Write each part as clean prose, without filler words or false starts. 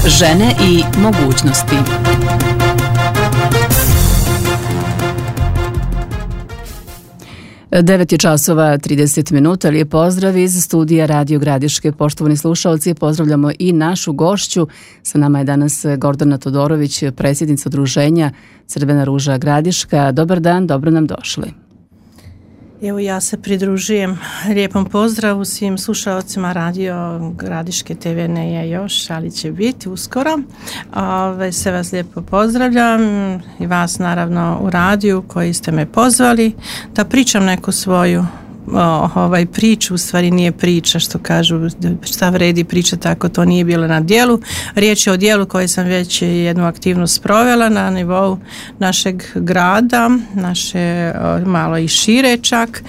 Žene i mogućnosti. Devet je časova 30 minuta. Lijep pozdrav iz studija Radio Gradiške. Poštovani slušalci, pozdravljamo i našu gošću. Sa nama je danas Gordana Todorović, predsjednica udruženja Crvena ruža Gradiška. Dobar dan, dobro nam došli. Evo, ja se pridružujem lijepom pozdravu svim slušalcima Radio Gradiške. TV ne je još, ali će biti uskoro. Sve vas lijepo pozdravljam i vas naravno u radiju koji ste me pozvali da pričam neku svoju priču. U stvari nije priča, što kažu, šta vredi priča, tako to nije bilo na dijelu. Riječ je o dijelu koje sam već jednu aktivnost provela na nivou našeg grada, naše malo i šire čak,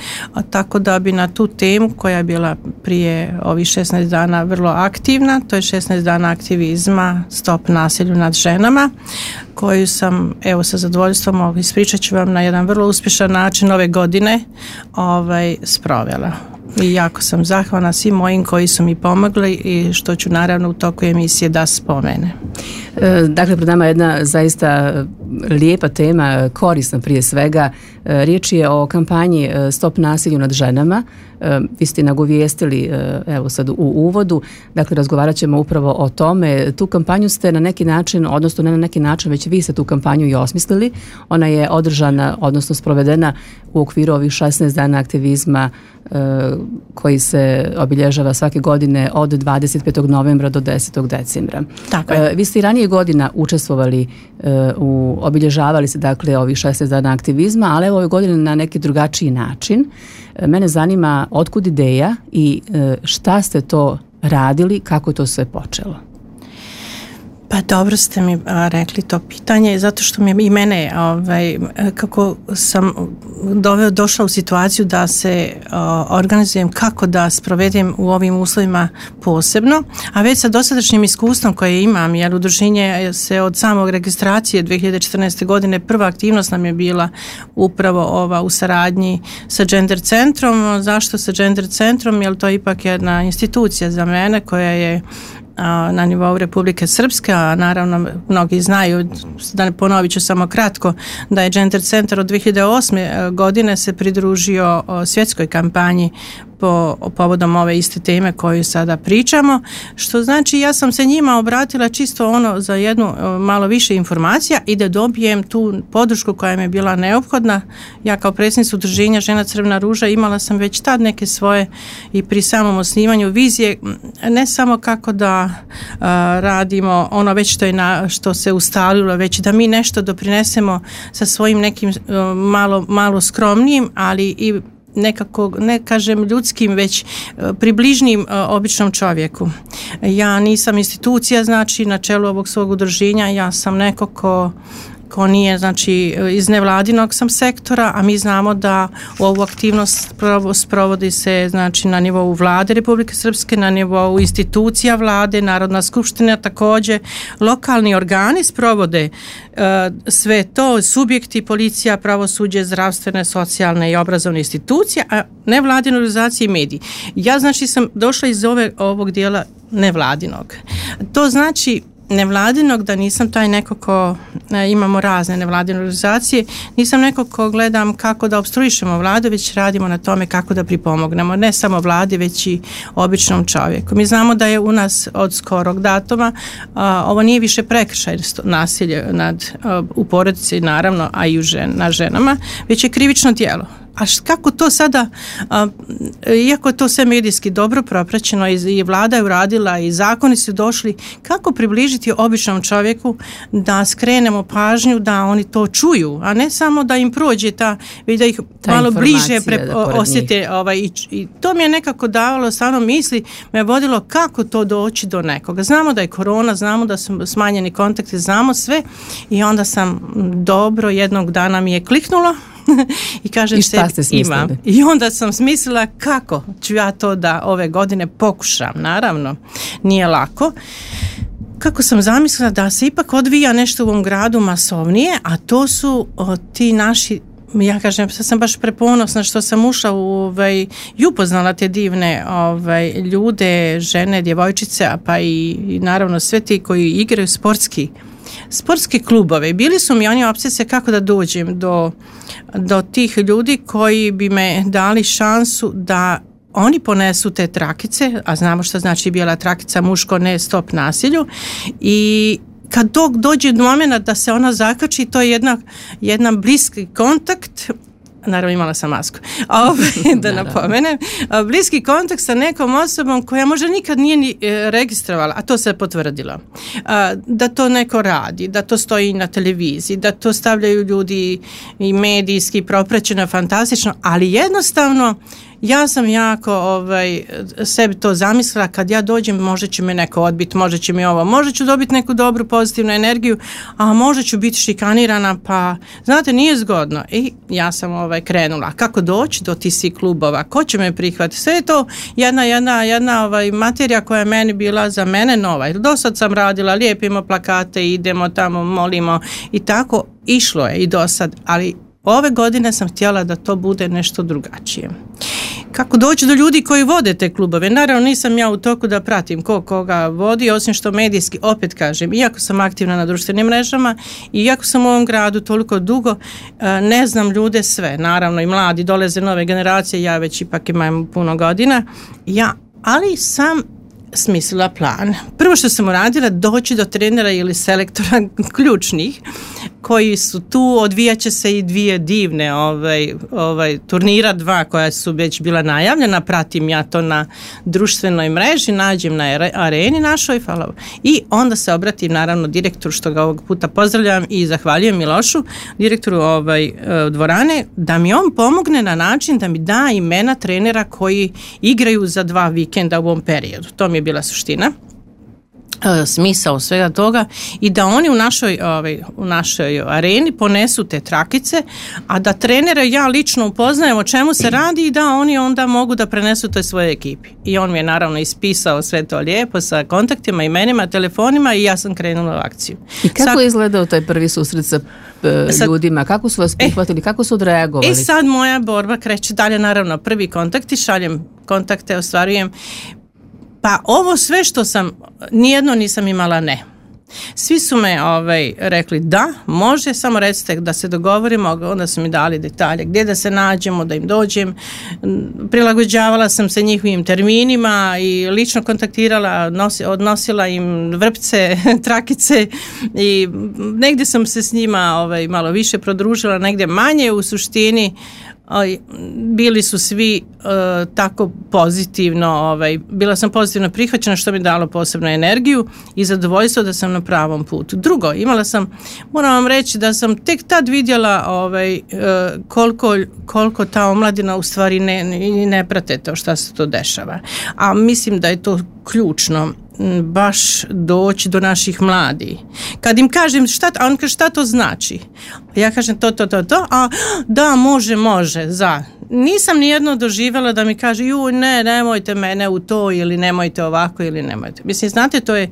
tako da bi na tu temu koja je bila prije ovih 16 dana vrlo aktivna, to je 16 dana aktivizma Stop nasilju nad ženama, koju sam, evo, sa zadovoljstvom ispričat ću vam na jedan vrlo uspješan način ove godine sprovela. I jako sam zahvalna svim mojim koji su mi pomogli i što ću naravno u toku emisije da spomene. Dakle, pred nama je jedna zaista lijepa tema, korisna prije svega. Riječ je o kampanji Stop nasilju nad ženama. Vi ste nagovijestili, evo sad u uvodu, dakle razgovarat ćemo upravo o tome. Tu kampanju ste na neki način, odnosno ne na neki način, već vi ste tu kampanju i osmislili. Ona je održana, odnosno sprovedena u okviru ovih 16 dana aktivizma koji se obilježava svake godine od 25. novembra do 10. decembra. Tako je. Vi ste i ranije godina učestvovali, obilježavali se dakle ovih 16 dana aktivizma, ali evo ove godine na neki drugačiji način. Mene zanima otkud ideja i šta ste to radili, kako je to sve počelo? Pa dobro ste mi rekli to pitanje, zato što mi i mene, kako sam došla u situaciju da se organizujem kako da sprovedem u ovim uslovima posebno, a već sa dosadašnjim iskustvom koje imam, jer udruženje se od samog registracije 2014. godine, prva aktivnost nam je bila upravo ova u saradnji sa Gender centrom. Zašto sa Gender centrom? Jer to je ipak jedna institucija za mene koja je na nivou Republike Srpske, a naravno mnogi znaju, da ne ponovit ću samo kratko, da je Gender centar od 2008. godine se pridružio svjetskoj kampanji povodom ove iste teme koju sada pričamo, što znači ja sam se njima obratila čisto za jednu malo više informacija i da dobijem tu podršku koja mi je bila neophodna. Ja kao predsjednica udruženja Žena Crvena ruža imala sam već tad neke svoje i pri samom osnivanju vizije, ne samo kako da radimo ono već što se ustalilo, već da mi nešto doprinesemo sa svojim nekim malo skromnijim, ali i nekako, ne kažem ljudskim, već približnim običnom čovjeku. Ja nisam institucija, znači na čelu ovog svog udruženja, ja sam neko ko nije, znači iz nevladinog sam sektora, a mi znamo da ovu aktivnost sprovodi se, znači na nivou vlade Republike Srpske, na nivou institucija vlade, Narodna skupština također, lokalni organi sprovode sve to, subjekti, policija, pravosuđe, zdravstvene, socijalne i obrazovne institucije, a nevladine organizacije i mediji. Ja znači sam došla iz ovog dijela nevladinog. To znači nevladinog, da nisam taj neko ko, imamo razne nevladine organizacije, nisam neko ko gledam kako da opstruišemo vladu, već radimo na tome kako da pripomognemo, ne samo vladi, već i običnom čovjeku. Mi znamo da je u nas od skorog datuma ovo nije više prekršaj nasilje u porodici, naravno, a i na ženama, već je krivično djelo. A kako to sada, iako je to sve medijski dobro propraćeno i vlada je uradila i zakoni su došli, kako približiti običnom čovjeku da skrenemo pažnju da oni to čuju, a ne samo da im prođe da ih malo bliže osjete. I to mi je nekako davalo stvarno misli, me je vodilo kako to doći do nekoga. Znamo da je korona, znamo da su smanjeni kontakti, znamo sve i onda sam dobro, jednog dana mi je kliknulo i kažem imam. I onda sam smislila kako ću ja to da ove godine pokušam. Naravno, nije lako. Kako sam zamislila da se ipak odvija nešto u ovom gradu masovnije, a to su ti naši ja kažem, sam baš preponosna što sam ušla i upoznala te divne ljude, žene, djevojčice, pa i naravno sve ti koji igraju sportski klubove. Bili su mi oni opsese kako da dođem do tih ljudi koji bi me dali šansu da oni ponesu te trakice, a znamo što znači bijela trakica, muško ne, stop nasilju, i kad dođe do momenta da se ona zakači, to je jedan bliski kontakt. Naravno, imala sam masku. Da napomenem, bliski kontakt sa nekom osobom koja možda nikad nije ni registrovala, a to se potvrdilo. Da to neko radi, da to stoji na televiziji, da to stavljaju ljudi i medijski propraćeno, fantastično, ali jednostavno ja sam jako sebi to zamislila, kad ja dođem možda će me neko odbiti, možda će mi ovo, možda ću dobiti neku dobru pozitivnu energiju, a možda ću biti šikanirana, pa znate, nije zgodno. I ja sam krenula. Kako doći do tih svih klubova? Ko će me prihvatiti? Sve je to jedna materija koja je meni bila za mene nova. Do sad sam radila, lijepimo plakate, idemo tamo, molimo i tako. Išlo je i do sad, ali ove godine sam htjela da to bude nešto drugačije. Kako doći do ljudi koji vode te klubove? Naravno, nisam ja u toku da pratim koga vodi, osim što medijski, opet kažem, iako sam aktivna na društvenim mrežama i iako sam u ovom gradu toliko dugo, ne znam ljude sve. Naravno, i mladi dolaze, nove generacije, ja već ipak imam puno godina, ali sam smislila plan. Prvo što sam uradila, doći do trenera ili selektora ključnih koji su tu, odvijat će se i dvije divne turnira, dva koja su već bila najavljena, pratim ja to na društvenoj mreži, nađem na areni našoj, i onda se obratim naravno direktoru, što ga ovog puta pozdravljam i zahvaljujem Milošu, direktoru dvorane, da mi on pomogne na način da mi da imena trenera koji igraju za 2 vikenda u ovom periodu. To mi je bila suština, smisao svega toga, i da oni u našoj areni ponesu te trakice, a da trenere ja lično upoznajem o čemu se radi i da oni onda mogu da prenesu toj svojoj ekipi. I on mi je naravno ispisao sve to lijepo sa kontaktima, imenima, telefonima, i ja sam krenula u akciju. I kako je izgledao taj prvi susret sa ljudima? Kako su vas prihvatili? Kako su odreagovali? I sad moja borba kreće dalje, naravno prvi kontakti, šaljem kontakte, ostvarujem. Pa ovo sve što sam, nijedno nisam imala ne. Svi su me rekli da, može, samo recite da se dogovorimo, onda su mi dali detalje gdje da se nađemo, da im dođem. Prilagođavala sam se njihovim terminima i lično kontaktirala, odnosila im vrpce, trakice, i negdje sam se s njima malo više prodružila, negdje manje. U suštini bili su svi tako pozitivno, bila sam pozitivno prihvaćena, što mi dalo posebnu energiju i zadovoljstvo da sam na pravom putu. Drugo, moram vam reći da sam tek tad vidjela koliko ta omladina u stvari ne prate to šta se to dešava. A mislim da je to ključno, baš doći do naših mladih. Kad im kažem on kaže šta to znači? Ja kažem to, a da, može, nisam nijedno doživjela da mi kaže nemojte mene u to, ili nemojte ovako, ili nemojte. Mislim, znate, to je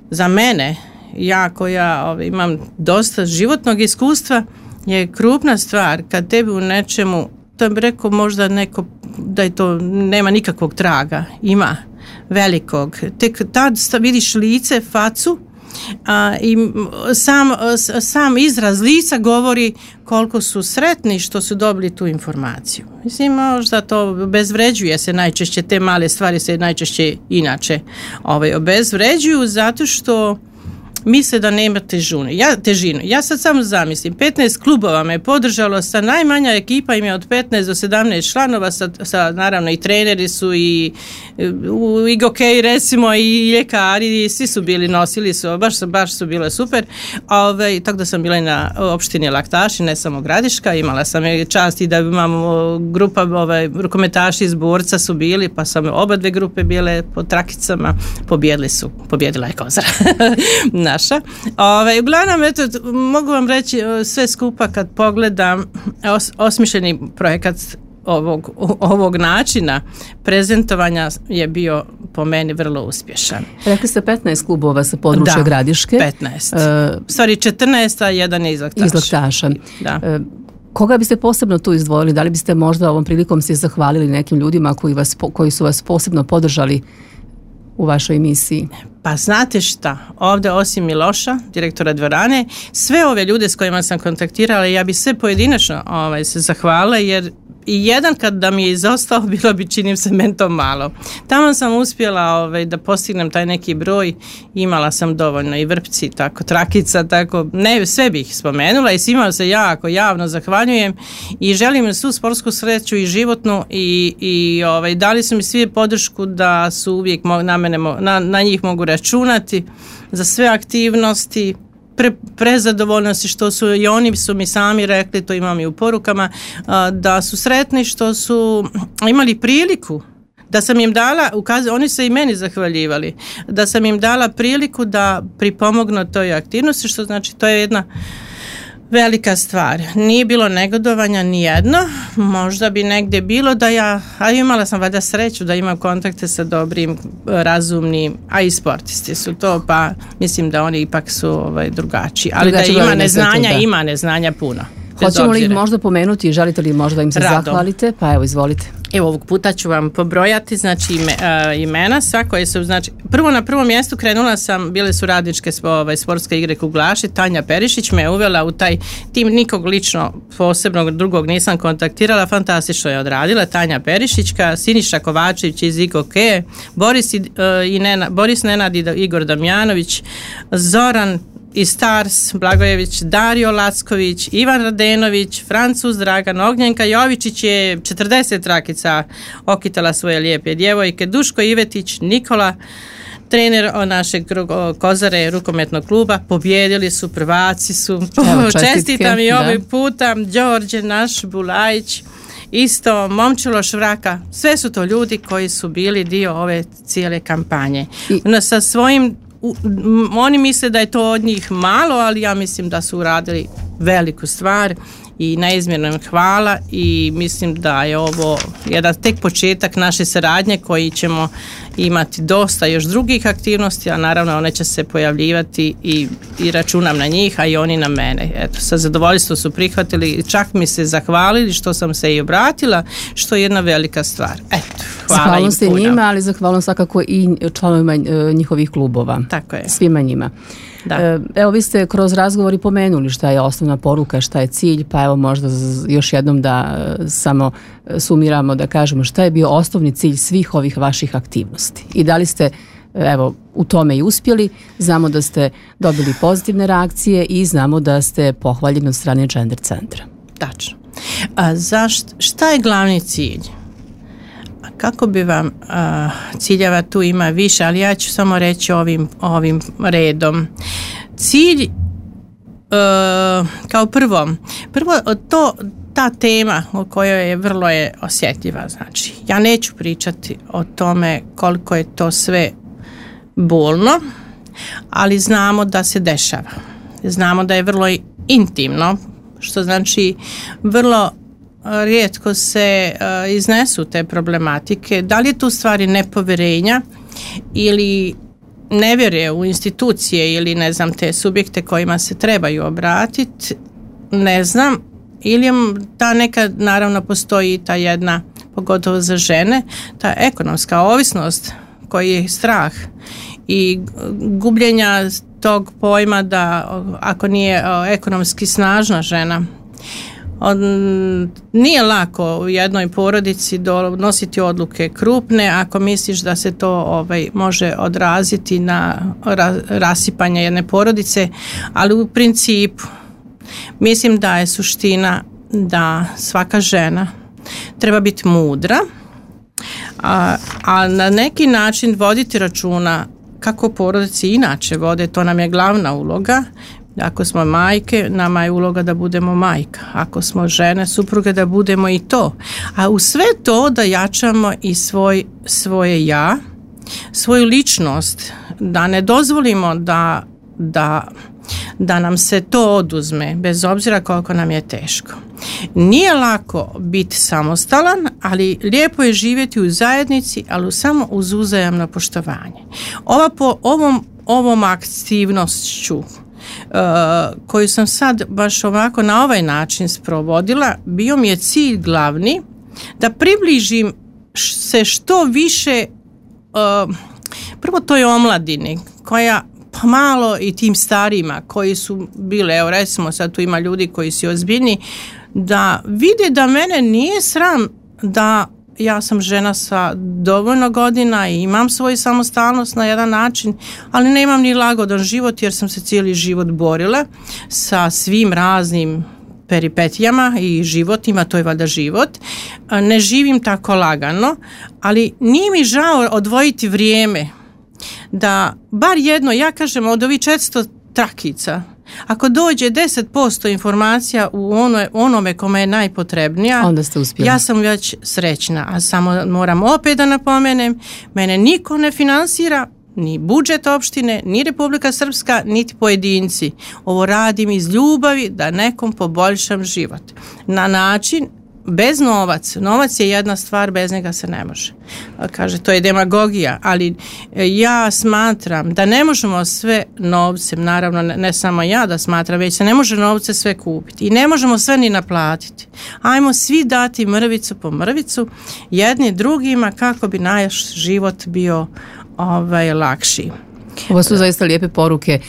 za mene, ja koja imam dosta životnog iskustva, je krupna stvar kad tebi u nečemu, to bi rekao možda neko da je to nema nikakvog traga, ima velikog. Tek tad vidiš lice, facu, i sam izraz lica govori koliko su sretni što su dobili tu informaciju. Mislim, možda to obezvređuje se najčešće, te male stvari se najčešće inače obezvređuju, zato što misle da nema težinu. Ja sad samo zamislim, 15 klubova me podržalo, sa najmanja ekipa im je od 15 do 17 članova, sa naravno i treneri su i gokej, recimo, i ljekari, svi su bili, nosili su, baš su bile super. Tako da sam bila i na opštini Laktaši, ne samo Gradiška, imala sam čast i da imamo grupa, rukometaši iz Borca su bili, pa sam oba dve grupe bile po trakicama, pobjedila je Kozara. Naša. Uglavnom, eto, mogu vam reći sve skupa kad pogledam osmišljeni projekat ovog načina prezentovanja je bio po meni vrlo uspješan. Rekli ste 15 klubova sa područja Gradiške. 15. Stvari 14, a jedan je iz Laktaša. Iz Laktaša. Da. Koga biste posebno tu izdvojili? Da li biste možda ovom prilikom se zahvalili nekim ljudima koji su vas posebno podržali u vašoj emisiji? Pa znate šta, ovdje osim Miloša, direktora dvorane, sve ove ljude s kojima sam kontaktirala, ja bi sve pojedinačno se zahvalila, jer i jedan kad da mi je izostao, bilo bi, činim se, meni to malo. Tamo sam uspjela da postignem taj neki broj, imala sam dovoljno i Vrpci, tako, Trakica, tako, ne, sve bih spomenula i svima se jako javno zahvaljujem i želim svu sportsku sreću i životnu i dali su mi svi podršku da su uvijek na njih mogu računati za sve aktivnosti, prezadovoljnosti što su i oni su mi sami rekli, to imam i u porukama, da su sretni što su imali priliku, da sam im dala, oni se i meni zahvaljivali, da sam im dala priliku da pripomognu toj aktivnosti, što znači to je jedna velika stvar. Nije bilo negodovanja nijedno, možda bi negdje bilo a imala sam valjda sreću da imam kontakte sa dobrim, razumnim, a i sportisti su to, pa mislim da oni ipak su drugačiji. Ali da ima neznanja puno. Hoćemo li ih možda pomenuti, želite li možda im se zahvalite? Pa evo, izvolite. Evo, ovog puta ću vam pobrojati, znači imena sva koje su, znači, prvo na prvom mjestu krenula sam, bile su radničke sportske igre Kuglaši, Tanja Perišić me uvela u taj tim, nikog lično posebnog drugog nisam kontaktirala, fantastično je odradila, Tanja Perišićka, Siniša Kovačević iz IKOKE, Boris Nenad i Igor Damjanović, Zoran i Stars Blagojević, Dario Lacković, Ivan Radenović, Francuz Dragan, Ognjenka Jovičić je 40 trakica okitala svoje lijepe djevojke, Duško Ivetić, Nikola, trener našeg Kozare rukometnog kluba, pobjedili su, prvaci su. Čestitam i ovaj puta, Đorđe naš, Bulajić, isto, Momčilo Švraka, sve su to ljudi koji su bili dio ove cijele kampanje. Sa svojim oni misle da je to od njih malo, ali ja mislim da su uradili veliku stvar i neizmjerno im hvala i mislim da je ovo jedan tek početak naše saradnje koji ćemo imati dosta još drugih aktivnosti, a naravno one će se pojavljivati i računam na njih, a i oni na mene. Eto, sa zadovoljstvom su prihvatili, čak mi se zahvalili što sam se i obratila, što je jedna velika stvar. Eto, hvala im puno. Njima, ali zahvalno svakako i članovima njihovih klubova. Tako je. Svima njima. Da. Evo, vi ste kroz razgovor i pomenuli šta je osnovna poruka, šta je cilj, pa evo možda još jednom da samo sumiramo, da kažemo šta je bio osnovni cilj svih ovih vaših aktivnosti i da li ste u tome i uspjeli. Znamo da ste dobili pozitivne reakcije i znamo da ste pohvaljeni od strane Gender centra. Tačno. Šta je glavni cilj? Kako bi vam ciljeva tu ima više, ali ja ću samo reći ovim redom. Cilj kao prvo ta tema o kojoj je vrlo osjetljiva, znači ja neću pričati o tome koliko je to sve bolno, ali znamo da se dešava. Znamo da je vrlo intimno, što znači vrlo rijetko se iznesu te problematike. Da li je tu stvari nepovjerenja ili nevjere u institucije ili ne znam te subjekte kojima se trebaju obratiti, ne znam, ili ta neka, naravno postoji ta jedna, pogotovo za žene, ta ekonomska ovisnost koji je strah i gubljenja tog pojma da ako nije ekonomski snažna žena, nije lako u jednoj porodici donositi odluke krupne ako misliš da se to može odraziti na rasipanje jedne porodice, ali u principu mislim da je suština da svaka žena treba biti mudra, a na neki način voditi računa kako porodici inače vode, to nam je glavna uloga. Ako smo majke, nama je uloga da budemo majka. Ako smo žene, supruge, da budemo i to. A u sve to da jačamo i svoje ja, svoju ličnost, da ne dozvolimo da nam se to oduzme, bez obzira koliko nam je teško. Nije lako biti samostalan, ali lijepo je živjeti u zajednici, ali samo uz uzajamno poštovanje. Ovom aktivnošću koju sam sad baš ovako na ovaj način sprovodila, bio mi je cilj glavni da približim se što više prvo toj omladini koja pa malo i tim starijima koji su bile, evo recimo sad tu ima ljudi koji su ozbiljni, da vide da mene nije sram da ja sam žena sa dovoljno godina i imam svoju samostalnost na jedan način, ali nemam ni lagodan život jer sam se cijeli život borila sa svim raznim peripetijama i životima, to je valjda život. Ne živim tako lagano, ali nije mi žao odvojiti vrijeme da bar jedno, ja kažem od ovih 400 trakica, ako dođe 10% informacija u onome kome je najpotrebnija, onda ste uspjeli. Ja sam već srećna, a samo moram opet da napomenem, mene niko ne finansira, ni budžet opštine, ni Republika Srpska, niti pojedinci. Ovo radim iz ljubavi da nekom poboljšam život. Na način, bez novac je jedna stvar, bez njega se ne može. Kaže, to je demagogija, ali ja smatram da ne možemo sve novcem, naravno ne samo ja da smatram, već se ne može novce sve kupiti i ne možemo sve ni naplatiti. Ajmo svi dati mrvicu po mrvicu jedni drugima kako bi naš život bio lakši. Ovo su zaista lijepe poruke.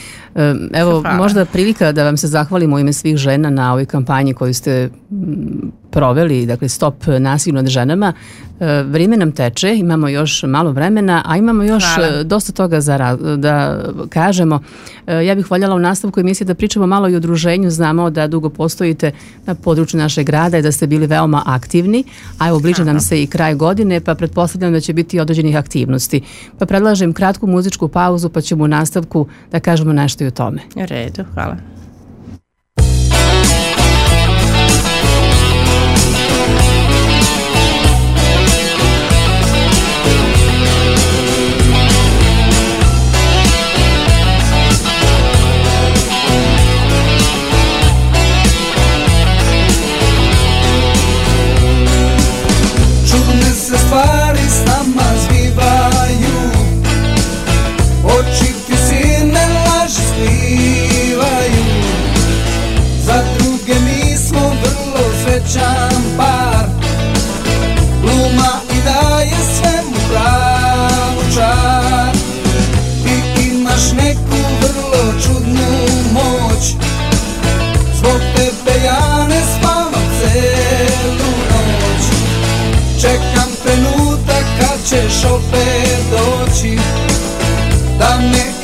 Evo, hvala. Možda prilika da vam se zahvalimo u ime svih žena na ovoj kampanji koju ste proveli, dakle Stop nasilju nad ženama. Vrijeme nam teče, imamo još malo vremena, a imamo još dosta toga da kažemo. Ja bih voljela u nastavku emisije da pričamo malo i o udruženju. Znamo da dugo postojite na području našeg grada i da ste bili veoma aktivni, a evo bliže nam se i kraj godine, pa pretpostavljam da će biti određenih aktivnosti. Pa predlažem kratku muzičku pauzu, pa ćemo u nastavku da kažemo nešto i o tome. U redu, hvala. Stvari s nama zbivaju, oči ti silne laži skrivaju. Za druge mi smo vrlo srećan par, gluma i daje svemu pravu čar. Ti imaš neku vrlo čudnu moć, zbog tebe ja ne spavam celu noć. Čekam trenutak kad ćeš opet doći, da me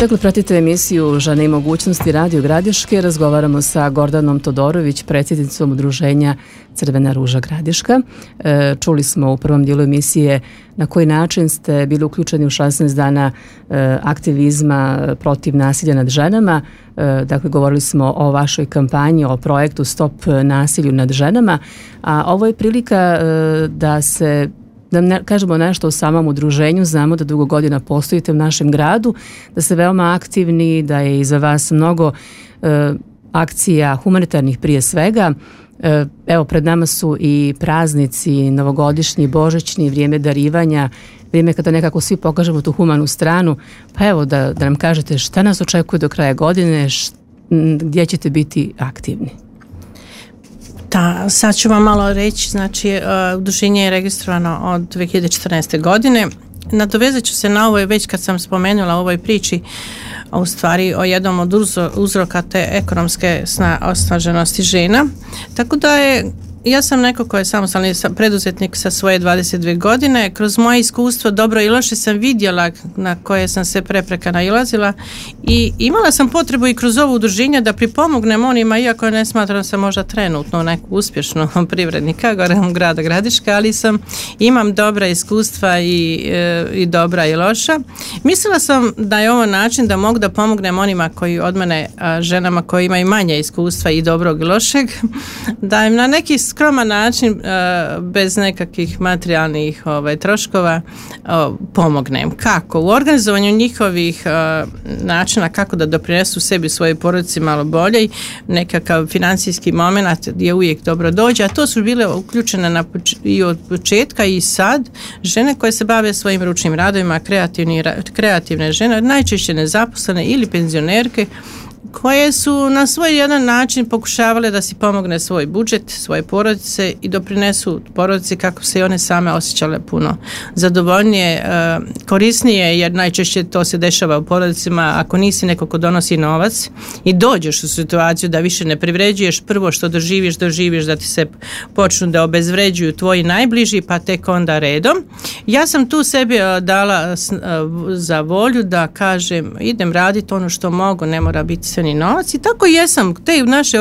Dakle, pratite emisiju Žene i mogućnosti Radio Gradiške. Razgovaramo sa Gordanom Todorović, predsjednicom udruženja Crvena ruža Gradiška. Čuli smo u prvom dijelu emisije na koji način ste bili uključeni u 16 dana aktivizma protiv nasilja nad ženama. Dakle, govorili smo o vašoj kampanji, o projektu Stop nasilju nad ženama, a ovo je prilika da kažemo nešto o samom udruženju. Znamo da dugo godina postojite u našem gradu, da ste veoma aktivni, da je iza vas mnogo akcija humanitarnih prije svega. Evo, pred nama su i praznici, novogodišnji, božićni, vrijeme darivanja, vrijeme kada nekako svi pokažemo tu humanu stranu. Pa evo da nam kažete šta nas očekuje do kraja godine, gdje ćete biti aktivni. Da, sad ću vam malo reći, znači udruženje je registrovano od 2014. godine. Nadovezat ću se na ovo, već kad sam spomenula u ovoj priči u stvari o jednom od uzroka te ekonomske osnaženosti žena. Tako da ja sam neko ko je samostalni preduzetnik sa svoje 22 godine. Kroz moje iskustvo, dobro i loše, sam vidjela na koje sam se prepreka nailazila i imala sam potrebu i kroz ovo udruženje da pripomognem onima, iako ne smatram se možda trenutno neku uspješnu privrednika grada Gradiška, ali imam dobra iskustva i dobra i loša. Mislila sam da je ovo način da mogu da pomognem onima koji od mene, ženama koji imaju manje iskustva i dobrog i lošeg, da im na neki skroman način, bez nekakvih materijalnih troškova, pomognem. Kako? U organizovanju njihovih načina kako da doprinesu sebi i svojoj porodici malo bolje, nekakav financijski moment je uvijek dobro dođe, a to su bile uključene i od početka i sad žene koje se bave svojim ručnim radovima, kreativne žene, najčešće nezaposlene ili penzionerke, koje su na svoj jedan način pokušavale da si pomogne svoj budžet, svoje porodice i doprinesu porodici kako se i one same osjećale puno zadovoljnije, korisnije, jer najčešće to se dešava u porodicima. Ako nisi neko ko donosi novac i dođeš u situaciju da više ne privređuješ, prvo što doživiš da ti se počnu da obezvređuju tvoji najbliži, pa tek onda redom. Ja sam tu sebi dala za volju da kažem, idem raditi ono što mogu, ne mora biti sve ni novac, i tako jesam. Te naše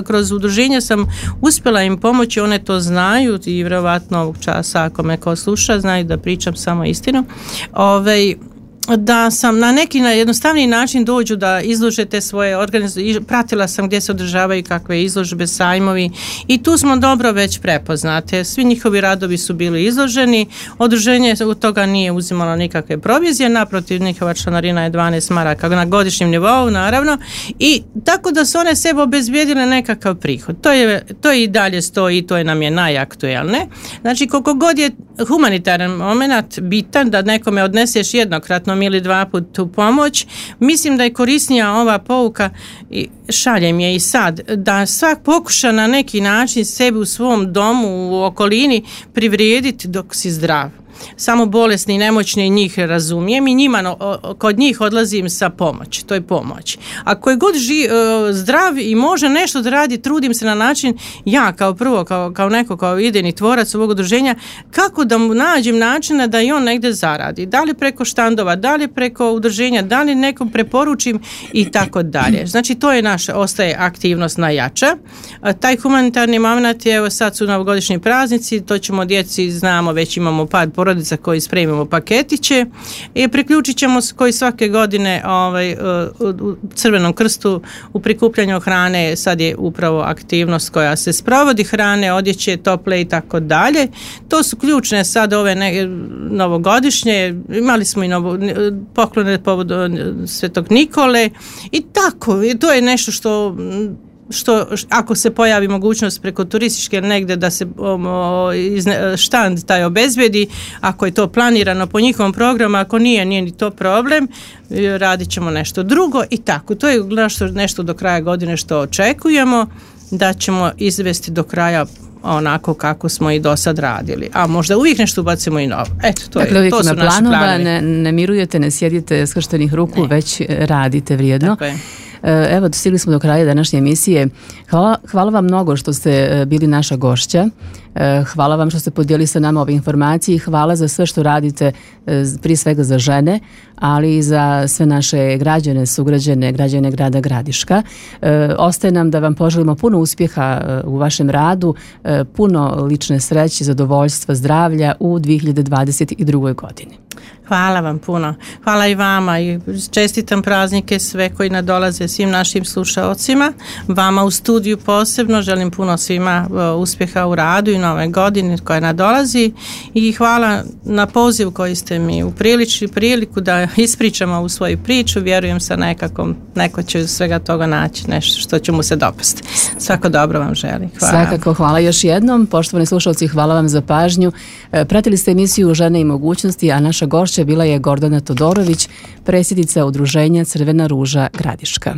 kroz udruženja sam uspjela im pomoći, one to znaju i vjerovatno ovog časa, ako me ko sluša, znaju da pričam samo istinu. Da sam na neki jednostavniji način dođu da izlože te svoje organizacije. Pratila sam gdje se održavaju kakve izložbe, sajmovi, i tu smo dobro već prepoznate. Svi njihovi radovi su bili izloženi, udruženje od toga nije uzimalo nikakve provizije, naprotiv, njihova članarina je 12 maraka na godišnjem nivou, naravno, i tako da su one sebe obezbijedile nekakav prihod. To je i dalje stoji, to nam je najaktuelne. Znači, koliko god je humanitaran moment bitan da nekome odneseš jednokratno ili 2 puta tu pomoć, mislim da je korisnija ova pouka, i šaljem je i sad, da svak pokuša na neki način sebi u svom domu, u okolini privrijediti dok si zdrav. Samo bolesni i nemoćni njih razumijem i kod njih odlazim sa pomoć, to je pomoć. Ako je god zdrav i može nešto da radi, trudim se na način, ja kao neko kao idejni tvorac ovog udruženja, kako da mu nađem načina da i on negdje zaradi. Da li preko štandova, da li preko udruženja, da li nekom preporučim i tako dalje. Znači, to je ostaje aktivnost najjača. Taj humanitarni moment je, evo sad su novogodišnji praznici, to ćemo djeci, znamo, već imamo par porodica koji spremimo paketiće i priključit ćemo se koji svake godine u Crvenom krstu u prikupljanju hrane. Sad je upravo aktivnost koja se sprovodi, hrane, odjeće, tople i tako dalje. To su ključne sad ove novogodišnje, imali smo i poklone povodu Svetog Nikole i tako, to je nešto što ako se pojavi mogućnost preko turističke negdje da se štand taj obezbedi, ako je to planirano po njihovom programu, ako nije ni to problem, radit ćemo nešto drugo i tako. To je nešto do kraja godine što očekujemo da ćemo izvesti do kraja onako kako smo i do sad radili. A možda uvijek nešto ubacimo i novo. Eto, to su naši planovi. Ne mirujete, ne sjedite skrštenih ruku, već radite vrijedno. Tako je. Evo, stigli smo do kraja današnje emisije. Hvala vam mnogo što ste bili naša gošća. Hvala vam što ste podijelili sa nama ove informacije i hvala za sve što radite, prije svega za žene, ali i za sve naše građane, sugrađane, građane grada Gradiška. Ostaje nam da vam poželimo puno uspjeha u vašem radu, puno lične sreće, zadovoljstva, zdravlja u 2022. godini. Hvala vam puno. Hvala i vama i čestitam praznike sve koji nadolaze, svim našim slušaocima. Vama u studiju posebno želim puno svima uspjeha u radu i nove godine koja nadolazi i hvala na poziv koji ste mi upriličili priliku da ispričam ovu svoju priču. Vjerujem sa neko će svega toga naći nešto što će mu se dopasti. Svako dobro vam želim. Hvala. Svakako, hvala još jednom. Poštovani slušalci, hvala vam za pažnju. Pratili ste emisiju Žene i mogućnosti, a naša gošća bila je Gordana Todorović, predsjednica Udruženja Crvena ruža Gradiška.